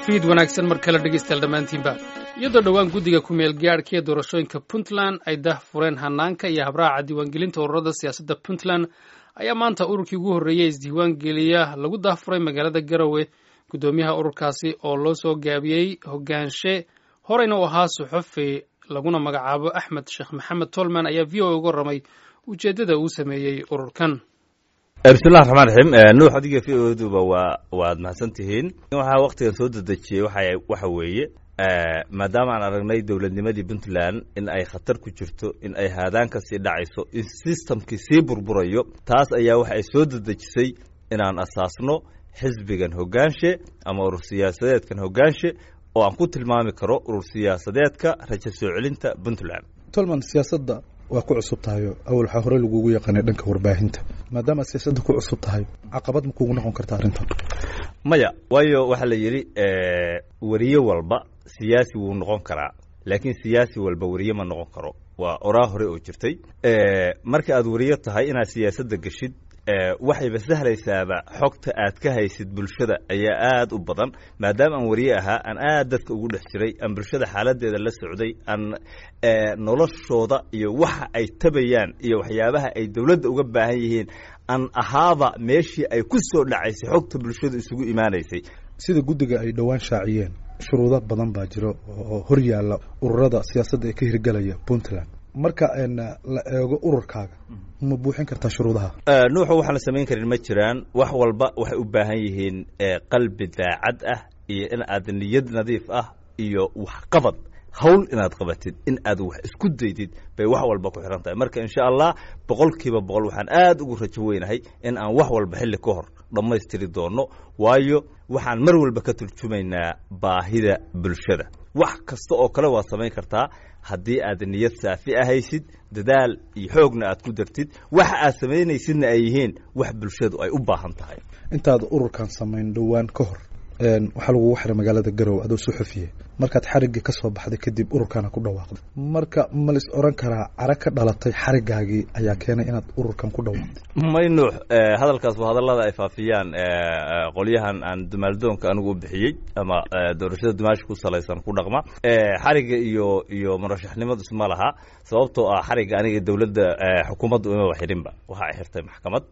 Fiid wanaagsan mar kale, dhegeystayaal dhammaantiinba. Iyadoo dhowaan guddiga ku-meel gaadhka ee doorashooyinka Puntland ay dah fureen hanaanka iyo habraaca diiwaangelinta ururada siyaasadda Puntland, ayaa maanta ururkii ugu horreeyey isdiiwaangeliya lagu dahfuray magaalada Garowe. Guddoomiyaha ururkaasi oo loo soo gaabiyey Hogaanshe, horeyna u ahaa suxufi, laguna magacaabo Axmed Sheekh Maxamed Tolman, ayaa VOA uga warramay ujeeddada uu sameeyey ururkan. Bismillahi raxmaan raxiim. Nuux, adiga VOA duba waad mahadsan tihiin. Waxaa waktigan soo dedejiyey waxa weeye, maadaama aan aragnay dowladnimadii Puntland in ay khatar ku jirto, in ay haadaan ka sii dhacayso, in systemkii sii burburayo, taas ayaa waxa ay soo dedejisay inaan asaasno xisbigan Hogaanshe ama urur siyaasadeedkan Hogaanshe, oo aan ku tilmaami karo urur siyaasadeedka rajo soo celinta Puntland. Tolman, siyaasadda waa ku cusub tahayo. Awal waxaa hore lagugu yaqaanay dhanka warbaahinta. Maadaama aad siyaasadda ku cusub tahay, caqabad ma kugu noqon karta arrintan? Maya, waayo waxaa la yidhi weriye walba siyaasi wuu noqon karaa, laakiin siyaasi walba weriye ma noqon karo. Waa oraa hore oo jirtay. Marka aad weriye tahay, inaad siyaasadda geshid waxayba sahlaysaaba. Xogta aad ka haysid bulshada ayaa aad u badan. Maadaama aan weriye ahaa, aan aad dadka ugu dhex jiray, aan bulshada xaaladeeda la socday, aan noloshooda iyo waxa ay tabayaan iyo waxyaabaha ay dowladda uga baahan yihiin aan ahaaba meeshii ay ku soo dhacaysay xogta bulshadu isugu imaanaysay. Sida guddiga ay dhowaan shaaciyeen, shuruudo badan baa jiro oo hor yaalla ururada siyaasadda ee ka hirgelaya Puntland. Marka la eego ururkaaga, ma buuxin kartaa shuruudaha? Nuuxu, waxaan la samayn karin ma jiraan. Wax walba waxay u baahan yihiin qalbi daacad ah iyo in aad niyad nadiif ah iyo waxqabad, hawl inaad qabatid, in aad wax isku daydid bay wax walba ku xiran tahay. Marka insha Allah 100% waxaan aad ugu rajo weynahay in aan wax walba xilli ka hor dhammaystiri doono, waayo waxaan mar walba ka turjumaynaa baahida bulshada. Wax kasta oo kale waad samayn kartaa haddii aad niyad saafi ahaysid, dadaal iyo xoogna aad ku dartid, waxa aad samaynaysidna ay yihiin wax bulshadu ay u baahan tahay. Intaad ururkan samayn dhowaan ka hor, waxaa lagugu xiray magaalada Garowe adoo suxufiye. Markaad xariggii ka soo baxday kadib, ururkaana ku dhawaaqday. Marka ma lis oran karaa cara ka dhalatay xariggaagii ayaa keenay inaad ururkan ku dhawaaqday? May, Nuux, hadalkaas waa hadallada ay faafiyaan qolyahan aan dumaaldoonka anigu u bixiyey ama doorashada dumaasha ku salaysan ku dhaqma. Xarigga iyo murashaxnimadu isma laha, sababtoo ah xarigga aniga dowladda xukuumaddu imaba xirinba. Waxa ay xirtay maxkamad.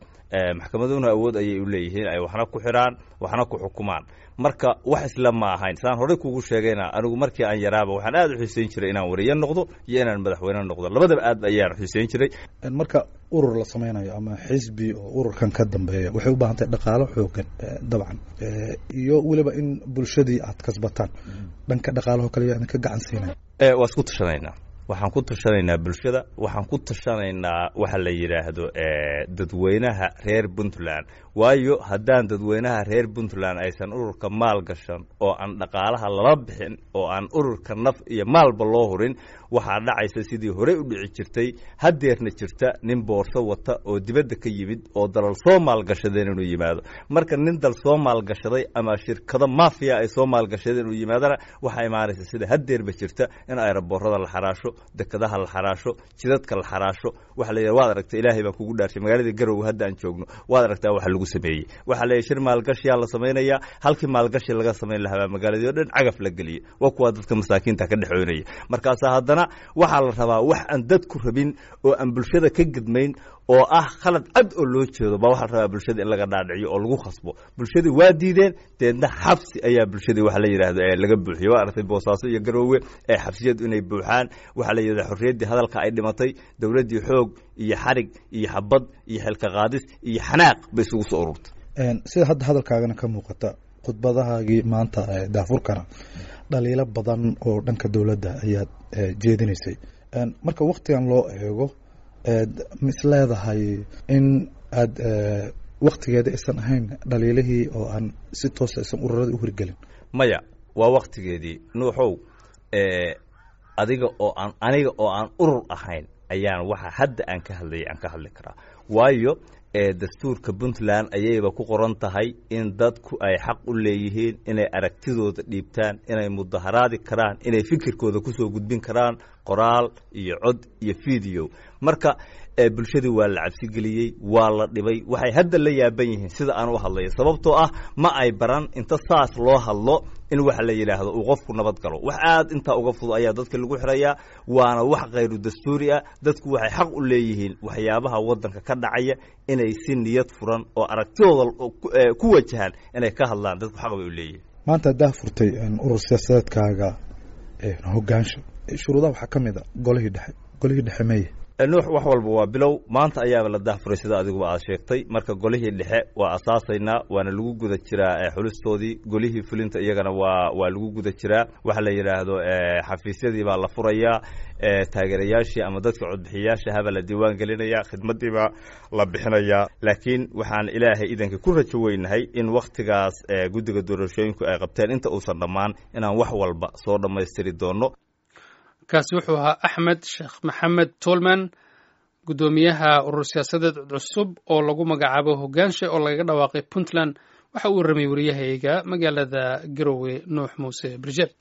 Maxkamaduna awood ayay u leeyihiin ay waxna ku xiraan, waxna ku xukumaan. Marka wax isla ma ahayn. Saan horey kugu sheegayna, anigu markii aan yaraaba waxaan aad u xiiseyn jiray inaan wariye noqdo iyo inaan madaxweyne noqdo, labadaba aad ayaan xiiseyn jiray. Marka urur la samaynayo ama xisbi oo ururkan ka dambeeya, waxay u baahan tahay dhaqaalo xoogan dabcan, iyo weliba in bulshadii aad kasbataan. Dhanka dhaqaalaho kale yaa idinka gacan siinaya? Waa isku tashanaynaa. Waxaan ku tashanaynaa bulshada, waxaan ku tashanaynaa waxa la yidhaahdo dadweynaha reer Puntland, waayo haddaan dadweynaha reer Puntland aysan ururka maal gashan oo aan dhaqaalaha lala bixin oo aan ururka naf iyo maalba loo hurin, waxaa dhacaysa sidii horey u dhici jirtay, haddeerna jirta, nin boorso wata oo dibadda ka yimid oo dalal soo maalgashadeen inuu yimaado. Marka nin dal soo maalgashaday ama shirkado mafiya ay soo maalgashadeen inuu yimaadana, waxaa imaanaysa sida haddeerba jirta in aeroboorada la xaraasho, dekadaha la xaraasho, jidadka la xaraasho. Waxa la yidhaha, waad aragta, Ilaahay baan kugu dhaarshay, magaaladii Garowe hadda aan joogno waad aragtaa waxa lagu sameeyey. Waxaa la yidhi shir maalgashiyaa la samaynayaa. Halkii maalgashi laga samayn lahaa baa magaaladii oo dhan cagaf la geliyey. Waa kuwaa dadka masaakiinta ka dhexoonaya. Markaasaa haddana waxaa la rabaa wax aan dadku rabin oo aan bulshada ka gedmayn oo ah khalad cad oo loo jeedo baa waxaa la rabaa bulshada in laga dhaadhiciyo oo lagu khasbo. Bulshadii waa diideen, deedna xabsi ayaa bulshadii waxa la yidhaahdo ee laga buuxiyey. Waa aragtay Boosaaso iyo Garoowe ee xabsiyadu inay buuxaan. Waxaa la yidhahda xorriyaddii hadalka ay dhimatay. Dowladdii xoog iyo xarig iyo xabad iyo xilka qaadis iyo xanaaq bay isugu soo ururtay. Sida hadda hadalkaagana ka muuqata, khudbadahaagii maanta daafurkana dhaliilo badan oo dhanka dowladda ayaad jeedinaysay. Marka waktigan loo eego, ma is leedahay in aad waktigeeda aysan ahayn dhaliilihii oo aan si toosa aysan ururada u hirgelin? Maya, waa waktigeedii, Nuuxow. Adiga oo aan aniga oo aan urur ahayn ayaan waxa hadda aan ka hadlayay aan ka hadli karaa, waayo dastuurka Puntland ayayba ku qoran tahay in dadku ay xaq u leeyihiin inay aragtidooda dhiibtaan, inay mudaharaadi karaan, inay fikirkooda kusoo gudbin karaan. Qoraal iyo cod iyo video. Marka bulshadii waa la cabsigeliyey, waa la dhibay. Waxay hadda la yaaban yihiin sida aan u hadlayo, sababtoo ah ma ay baran inta saas loo hadlo in waxa la yidhaahdo uu qofku nabad galo. Wax aad intaa uga fudud ayaa dadka lagu xirayaa, waana wax khayru dastuuri ah. Dadku waxay xaq u leeyihiin waxyaabaha waddanka ka dhacaya inay si niyad furan oo aragtidooda ku wajahaan inay ka hadlaan. Dadku xaq bay u leeyihiin. Maanta haddaa furtay urur siyaasadeedkaaga hogaansha, shuruudaha waxaa ka mid a golihii dhexe. Golihii dhexe meye? Nuux, wax walba waa bilow. Maanta ayaaba la daahfuray, sida adiguba aad sheegtay. Marka golihii dhexe waa asaasaynaa, waana lagu guda jiraa xulistoodii. Golihii fulinta iyagana waa lagu guda jiraa. Waxa la yidhaahdo xafiisyadii baa la furayaa, taageerayaashii ama dadka codbixiyayaasha habaa la diiwaan gelinaya, khidmadii baa la bixinayaa. Laakiin waxaan Ilaahay idanka ku rajo weynahay in wakhtigaas guddiga doorashooyinku ay qabteen inta uusan dhammaan inaan wax walba soo dhammaystiri doono. Kaasi wuxuu ahaa Axmed Sheekh Maxamed Tolman, guddoomiyaha urur siyaasadeed cusub oo lagu magacaabo Hogaanshe oo lagaga dhawaaqay Puntland. Waxa uu warramay wariyahayga magaalada Garowe, Nuux Muuse Birjeb.